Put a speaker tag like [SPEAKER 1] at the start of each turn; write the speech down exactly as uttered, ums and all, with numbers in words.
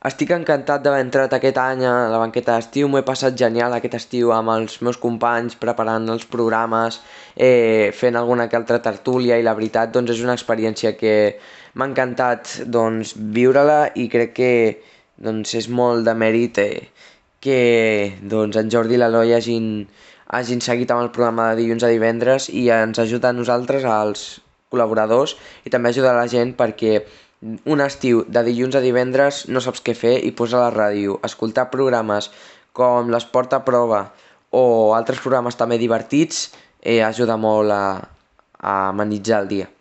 [SPEAKER 1] Estic encantat d'haver entrat aquest any a la banqueta d'estiu, m'ho he passat genial aquest estiu amb els meus companys, preparant els programes, eh, fent alguna que altra tertúlia i la veritat doncs és una experiència que m'ha encantat doncs, viure-la i crec que doncs, és molt de mèrit eh, que doncs, en Jordi i l'Eloi hagin, hagin seguit amb el programa de dilluns a divendres i ens ajuda a nosaltres, als col·laboradors, i també ajuda a la gent perquè un estiu de dilluns a divendres no saps què fer i posa la ràdio, escoltar programes com l'Esport a Prova o altres programes també divertits eh, ajuda molt a, a amenitzar el dia.